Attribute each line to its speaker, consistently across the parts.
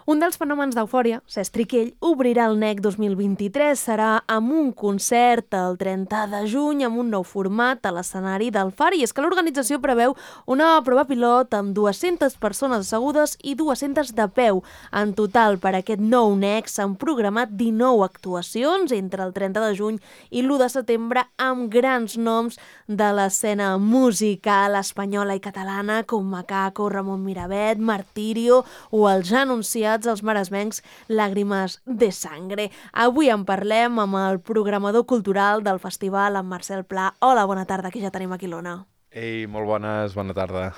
Speaker 1: Un dels fenòmens d'eufòria, Cesc Triquell, obrirà el NEC 2023. Serà amb un concert el 30 de juny amb un nou format a l'escenari del Far. I és que l'organització preveu una prova pilot amb 200 persones assegudes i 200 de peu. En total, per aquest nou NEC s'han programat 19 actuacions entre el 30 de juny i l'1 de setembre amb grans noms de l'escena musical espanyola i catalana com Macaco, Ramon Miravet, Martirio o els ja anunciats els maresmencs Làgrimes de Sangre. Avui en parlem amb el programador cultural del festival, en Marcel Pla. Hola, bona tarda, que ja tenim aquí l'Ona.
Speaker 2: Ei, molt bones, bona tarda.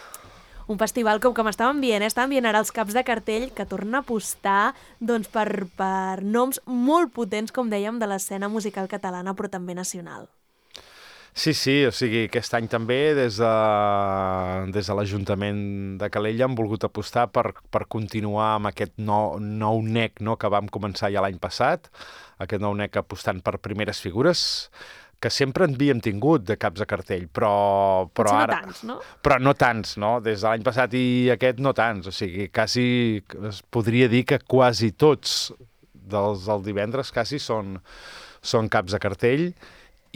Speaker 1: Un festival com m'estàvem dient ara els caps de cartell que torna a apostar doncs, per noms molt potents, com dèiem, de l'escena musical catalana, però també nacional.
Speaker 2: Sí, o sigui, aquest any també des de l'Ajuntament de Calella hem volgut apostar per continuar amb aquest nou NEC, no, que vam començar ja l'any passat, aquest nou NEC apostant per primeres figures, que sempre en havíem tingut de caps de cartell, però ara...
Speaker 1: No tants, no?
Speaker 2: Però no tants, no? Des de l'any passat i aquest no tants, o sigui, quasi es podria dir que quasi tots del divendres quasi són caps de cartell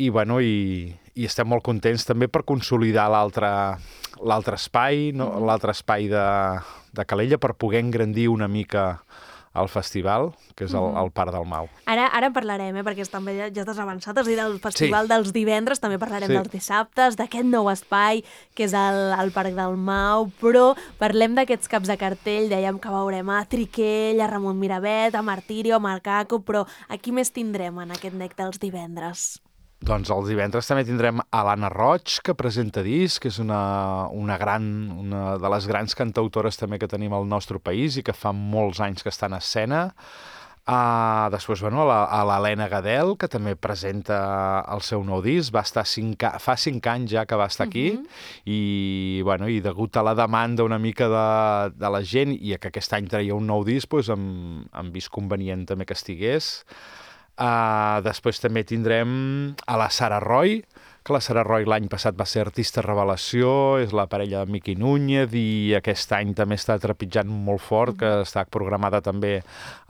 Speaker 2: i, bueno, i estem molt contents també per consolidar l'altre espai, no? L'altre espai de Calella, per poder engrandir una mica el festival, que és el Parc del Mau.
Speaker 1: Ara en parlarem, perquè també ja t'has avançat, has dit el festival dels divendres, també parlarem dels dissabtes, d'aquest nou espai, que és el Parc del Mau, però parlem d'aquests caps de cartell, dèiem que veurem a Triquell, a Ramon Miravet, a Martirio, a Macaco, però a qui més tindrem en aquest NEC dels divendres?
Speaker 2: Doncs els divendres també tindrem a l'Anna Roig, que presenta disc, que és una de les grans cantautores també que tenim al nostre país i que fa molts anys que està en escena. Després, bueno, a l'Helena Gadel, que també presenta el seu nou disc, va estar fa 5 anys ja que va estar aquí, i degut a la demanda una mica de la gent i que aquest any traia un nou disc, doncs hem vist convenient també que estigués. Després també tindrem a la Sara Roy, que la Sara Roy l'any passat va ser artista revelació, és la parella de Miqui Núñez i aquest any també està trepitjant molt fort, que està programada també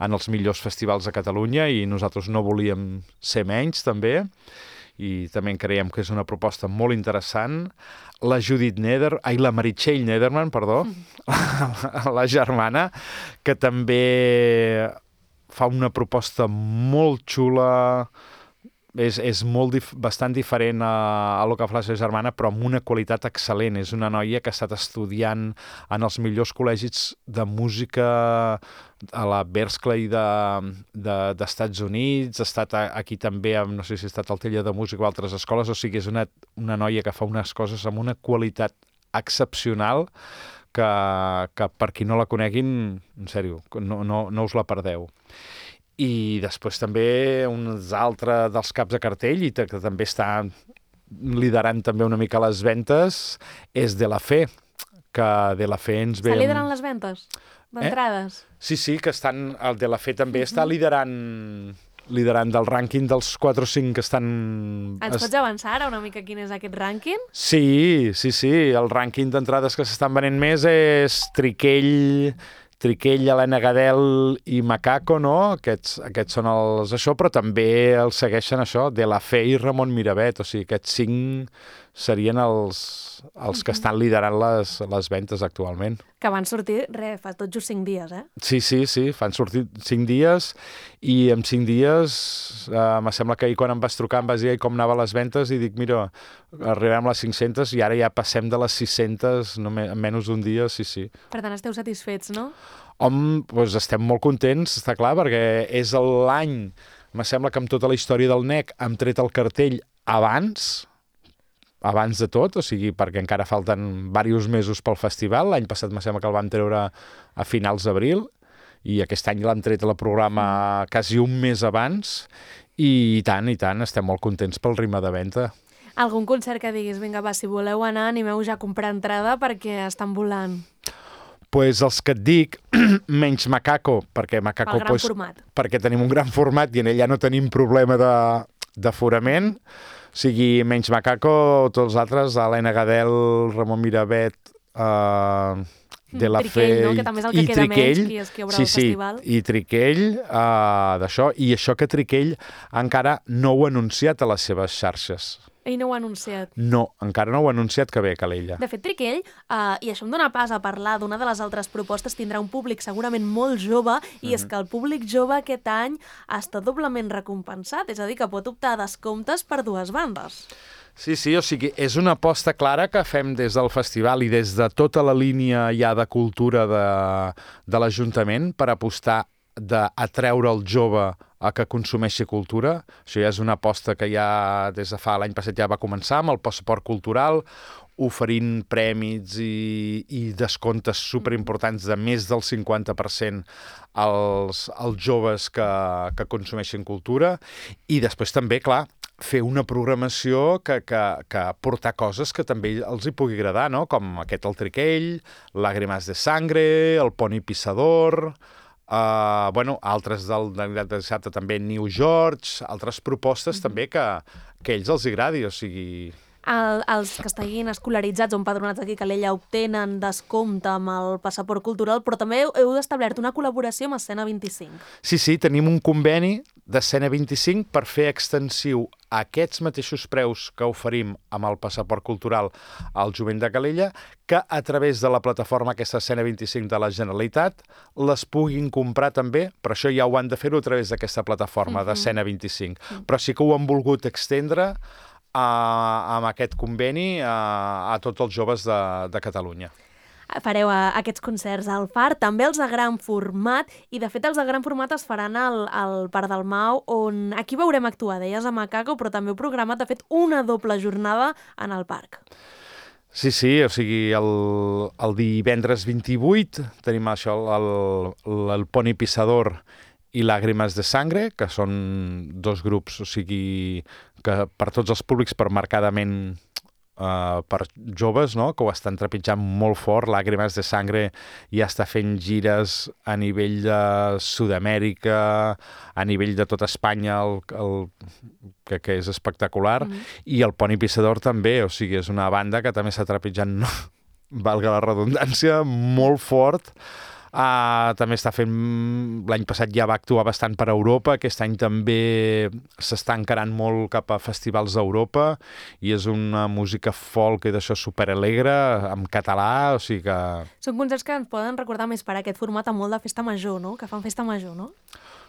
Speaker 2: en els millors festivals de Catalunya i nosaltres no volíem ser menys també i també creiem que és una proposta molt interessant. La la Meritxell Nederman, perdó, la germana, que també fa una proposta molt xula, és bastant diferent a lo que fa la seva germana, però amb una qualitat excel·lent. És una noia que ha estat estudiant en els millors col·legis de música a la Berklee d'Estats Units, ha estat aquí també, no sé si ha estat al Taller de Música o altres escoles, o sigui, és una noia que fa unes coses amb una qualitat excepcional que per qui no la coneguin, en sèrio, no us la perdeu. I després també un altre dels caps de cartell, i que també està liderant també una mica les ventes, és De La Fe, que De La Fe ens ve...
Speaker 1: Està liderant les ventes d'entrades?
Speaker 2: Sí, que el De La Fe també està liderant del rànquing dels 4 o 5 que estan...
Speaker 1: Ens pots avançar ara una mica quin és aquest rànquing?
Speaker 2: Sí. El rànquing d'entrades que s'estan venent més és Triquell, Helena Gadel i Macaco, no? Aquests són els això, però també els segueixen això, De La Fe i Ramon Miravet, o sigui, aquests 5 serien els que estan liderant les ventes actualment.
Speaker 1: Que van sortir, fa tot just 5 dies, eh?
Speaker 2: Sí, van sortir 5 dies i en 5 dies me sembla que ahir quan em vas trucar em vas dir com anaven les ventes i dic, mira, arribem a les 500 i ara ja passem de les 600 en menys d'un dia, sí.
Speaker 1: Per tant, esteu satisfets, no?
Speaker 2: Doncs estem molt contents, està clar, perquè és l'any, me sembla que amb tota la història del NEC hem tret el cartell abans de tot, o sigui, perquè encara falten diversos mesos pel festival. L'any passat me sembla que el vam treure a finals d'abril i aquest any l'han tret a la programa quasi un mes abans i tant, estem molt contents pel ritme de venda.
Speaker 1: Algun concert que diguis, vinga, va, si voleu anar, animeu ja a comprar entrada perquè estan volant?
Speaker 2: Pues els que et dic, menys Macaco, perquè Macaco...
Speaker 1: El gran format.
Speaker 2: Perquè tenim un gran format i en ell ja no tenim problema d'aforament. O sigui, menys Macaco, tots els altres, Helena Gadel, Ramon Miravet de la
Speaker 1: Triquell, no? Que també és el que queda menys, qui és qui obre el festival.
Speaker 2: I Triquell, d'això, i això que Triquell encara no ho ha anunciat a les seves xarxes.
Speaker 1: Ell no ho ha anunciat.
Speaker 2: No, encara no ho ha anunciat que ve a Calella.
Speaker 1: De fet, Triquell, i això em dóna pas a parlar d'una de les altres propostes, tindrà un públic segurament molt jove, i és que el públic jove aquest any està doblement recompensat, és a dir, que pot optar a descomptes per dues bandes.
Speaker 2: Sí, o sigui, és una aposta clara que fem des del festival i des de tota la línia ja de cultura de l'Ajuntament per apostar d'atreure el jove a que consumeixi cultura. Això ja és una aposta que ja des de fa l'any passat ja va començar amb el passaport cultural, oferint prèmits i descomptes superimportants de més del 50% als joves que consumeixin cultura. I després també, clar, fer una programació que portar coses que també els hi pugui agradar, no? Com aquest El Triquell, Lágrimas de Sangre, el Poni Pissador, altres del dissabte també New George, altres propostes també que a ells els agradi, o sigui...
Speaker 1: Els que estiguin escolaritzats o empadronats aquí a Calella obtenen descompte amb el passaport cultural, però també heu establert una col·laboració amb Escena 25.
Speaker 2: Sí, tenim un conveni d'Escena 25 per fer extensiu aquests mateixos preus que oferim amb el passaport cultural al jovent de Calella, que a través de la plataforma aquesta Escena 25 de la Generalitat les puguin comprar també, però això ja ho han de fer-ho a través d'aquesta plataforma d'Escena 25. Però sí que ho han volgut extendre amb aquest conveni a tots els joves de Catalunya.
Speaker 1: Fareu aquests concerts al Far, també els de gran format, i de fet els de gran format es faran al Parc del Mau, on aquí veurem actuar, deies a Macaco, però també heu programat, de fet, una doble jornada en el parc.
Speaker 2: Sí, o sigui, el divendres 28 tenim això, el Poni Pissador i Lágrimas de Sangre, que són dos grups, o sigui, que per tots els públics, per marcadament per joves, no? Que ho estan trepitjant molt fort. Lágrimas de Sangre ja està fent gires a nivell de Sud-amèrica, a nivell de tota Espanya, que és espectacular, i el Poni Pissador també, o sigui, és una banda que també està trepitjant, valga la redundància, molt fort. També està fent... L'any passat ja va actuar bastant per Europa, aquest any també s'està encarant molt cap a festivals d'Europa, i és una música folk i d'això superalegre, en català, o sigui que...
Speaker 1: Són concerts que ens poden recordar més per aquest format a molt de festa major, no? Que fan festa major, no?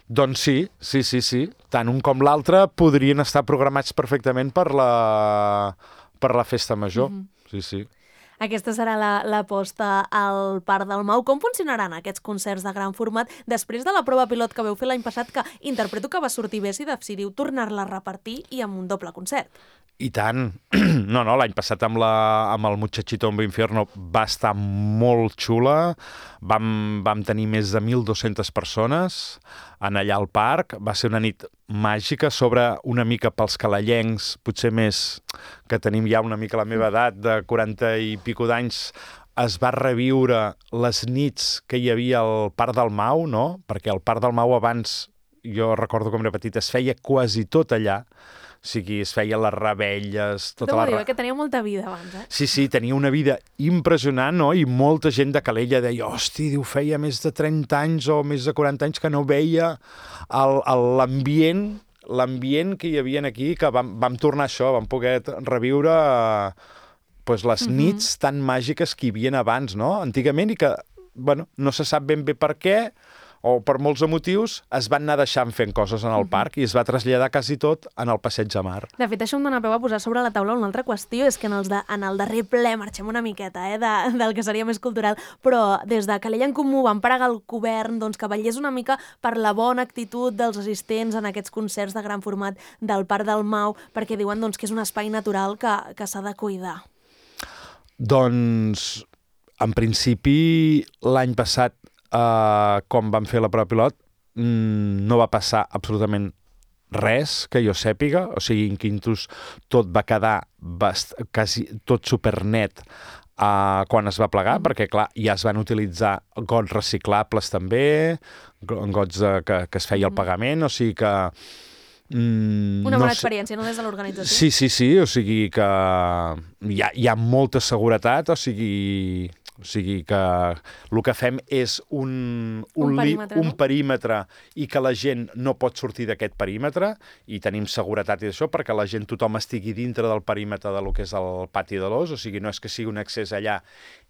Speaker 2: Doncs sí. Tant un com l'altre podrien estar programats perfectament per la festa major. Sí.
Speaker 1: Aquesta serà l'aposta al Parc del Mau. Com funcionaran aquests concerts de gran format després de la prova pilot que veu fer l'any passat, que interpreto que va sortir bé si decidiu tornar-la a repartir i amb un doble concert?
Speaker 2: I tant. No, l'any passat amb el Muchachito en Infierno va estar molt xula. Vam tenir més de 1.200 persones en allà al parc. Va ser una nit màgica, sobre una mica pels calellencs, potser més que tenim ja una mica la meva edat, de 40 i pico d'anys, es va reviure les nits que hi havia al Parc del Mau, no? Perquè al Parc del Mau abans, jo recordo com era petit, es feia quasi tot allà. O sigui, es feien les revetlles...
Speaker 1: que tenia molta vida abans, eh?
Speaker 2: Sí, tenia una vida impressionant, no? I molta gent de Calella deia, hosti, diu, feia més de 30 anys o més de 40 anys que no veia l'ambient que hi havia aquí, que vam tornar a això, vam poder reviure les nits tan màgiques que hi havia abans, no? Antigament, i que, no se sap ben bé per què, o per molts motius, es van anar deixant fent coses en el parc i es va traslladar quasi tot en el Passeig de Mar.
Speaker 1: De fet, això em dona peu a posar sobre la taula una altra qüestió, és que en el darrer ple marxem una miqueta del que seria més cultural, però des de Calella en Comú van pregar al govern que vetllés una mica per la bona actitud dels assistents en aquests concerts de gran format del Parc del Mau, perquè diuen que és un espai natural que s'ha de cuidar.
Speaker 2: Doncs, en principi, l'any passat, com vam fer la prova pilot, no va passar absolutament res que jo sàpiga, o sigui, en Quintus tot va quedar quasi tot supernet quan es va plegar, perquè clar, ja es van utilitzar gots reciclables també, gots que es feia el pagament, o sigui que...
Speaker 1: Una bona experiència, no, des de l'organització?
Speaker 2: Sí, o sigui que hi ha molta seguretat, o sigui... O sigui que el que fem és un perímetre i que la gent no pot sortir d'aquest perímetre i tenim seguretat i això perquè la gent, tothom estigui dintre del perímetre de lo que és el pati de l'Os, o sigui, no és que sigui un accés allà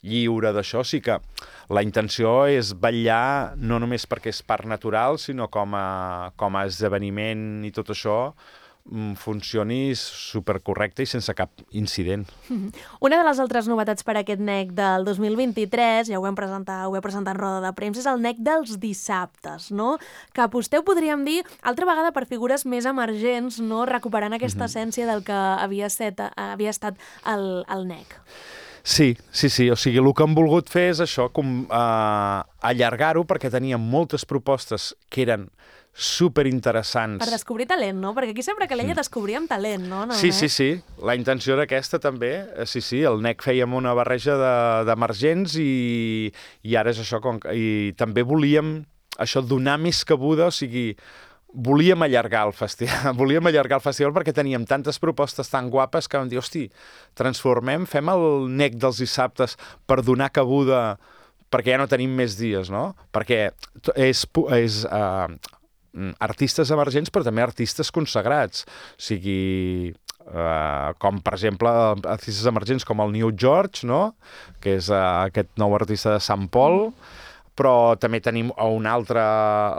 Speaker 2: lliure d'això, sí que la intenció és vetllar no només perquè és parc natural, sinó com a esdeveniment i tot això funcioni supercorrecte i sense cap incident.
Speaker 1: Una de les altres novetats per a aquest NEC del 2023, ja ho vam presentar en roda de premsa, és el NEC dels dissabtes, no? Que aposteu, podríem dir, altra vegada per figures més emergents, no? Recuperant aquesta essència del que havia estat el NEC.
Speaker 2: Sí. O sigui, el que hem volgut fer és això, allargar-ho, perquè teníem moltes propostes que eren superinteressants.
Speaker 1: Per descobrir talent, no? Perquè aquí sempre que l'ella descobríem talent, no?
Speaker 2: Sí. La intenció era aquesta també. Sí, el NEC fèiem una barreja d'emergents i ara és això. I també volíem això donar més cabuda, o sigui, volíem allargar el festival perquè teníem tantes propostes tan guapes que vam dir, hosti, fem el NEC dels dissabtes per donar cabuda perquè ja no tenim més dies, no? Perquè és artistes emergents, però també artistes consagrats. O sigui, com per exemple artistes emergents com el New George, no? Que és aquest nou artista de Sant Pol, però també tenim un altre,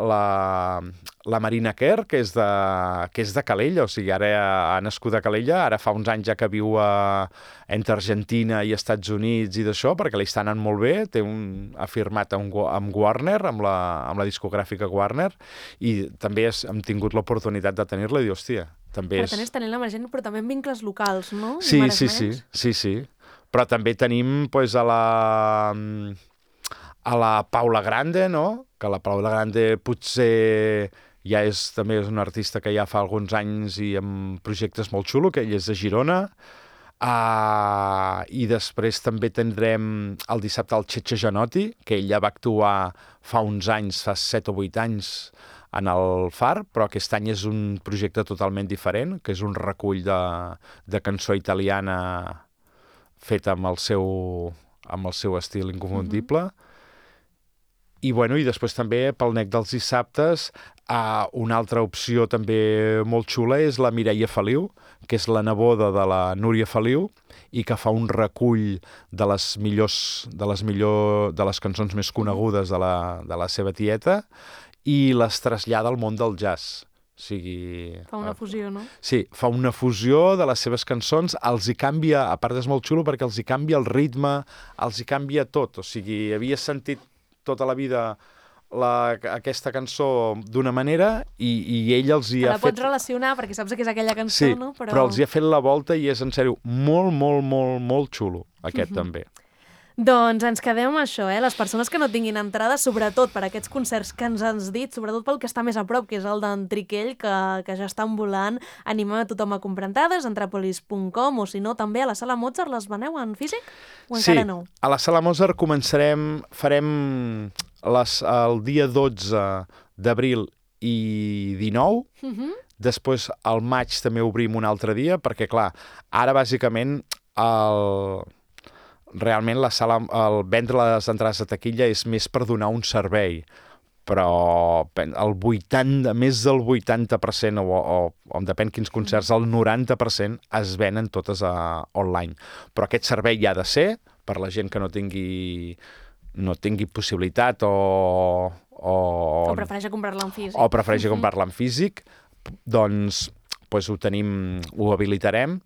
Speaker 2: la Marina Kerr, que és de Calella, o sigui, ara ha nascut a Calella, ara fa uns anys ja que viu entre Argentina i Estats Units i d'això, perquè li està anant molt bé, ha firmat amb Warner, amb la discogràfica Warner, i també hem tingut l'oportunitat de tenir-la i dir, hòstia, també és...
Speaker 1: Per tant, és tenint l'emergent, però també en vincles locals, no?
Speaker 2: Sí. Però també tenim a la Paula Grande, no? Que la Paula Grande potser ja també és un artista que ja fa alguns anys i amb projectes molt xulo, que ell és de Girona. I després també tindrem el dissabte el Cheche Janotti, que ell ja va actuar fa uns anys, fa 7 o 8 anys, en el Far, però aquest any és un projecte totalment diferent, que és un recull de cançó italiana feta amb el seu estil inconfundible. I després també pel NEC dels dissabtes una altra opció també molt xula és la Mireia Feliu, que és la neboda de la Núria Feliu i que fa un recull de les cançons més conegudes de la seva tieta i les trasllada al món del jazz. O sigui...
Speaker 1: Fa una fusió, no?
Speaker 2: Sí, fa una fusió de les seves cançons, els hi canvia, a part és molt xulo perquè els hi canvia el ritme, els hi canvia tot, o sigui, havia sentit tota la vida aquesta cançó d'una manera i ell els hi ha fet...
Speaker 1: La pots relacionar perquè saps que és aquella cançó, no?
Speaker 2: Però els hi ha fet la volta i és, en sèrio, molt xulo, aquest també.
Speaker 1: Doncs ens quedem amb això, les persones que no tinguin entrada, sobretot per aquests concerts que ens has dit, sobretot pel que està més a prop, que és el d'en Triquell, que ja estan volant. Animem a tothom a comprar entrades, entrapolis.com, o si no, també a la Sala Mozart les veneu en físic? O encara no?
Speaker 2: Sí, a la Sala Mozart farem el dia 12 d'abril i 19, després al maig també obrim un altre dia, perquè clar, ara bàsicament realment vendre les entrades a taquilla és més per donar un servei, però més del 80%, o depèn quins concerts, el 90% es venen totes online. Però aquest servei hi ha de ser per la gent que no tingui possibilitat o
Speaker 1: prefereix comprar-la en físic.
Speaker 2: O prefereix comprar-la en físic, doncs ho habilitarem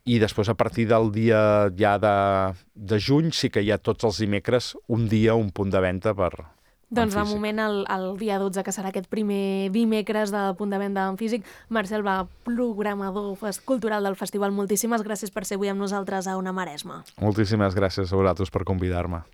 Speaker 2: i després a partir del dia ja de juny sí que hi ha tots els dimecres un punt de venda
Speaker 1: Doncs de moment el dia 12, que serà aquest primer dimecres de punt de venda en físic. Marcel Va, programador cultural del festival, moltíssimes gràcies per ser avui amb nosaltres a Ona Maresma.
Speaker 2: Moltíssimes gràcies a vosaltres per convidar-me.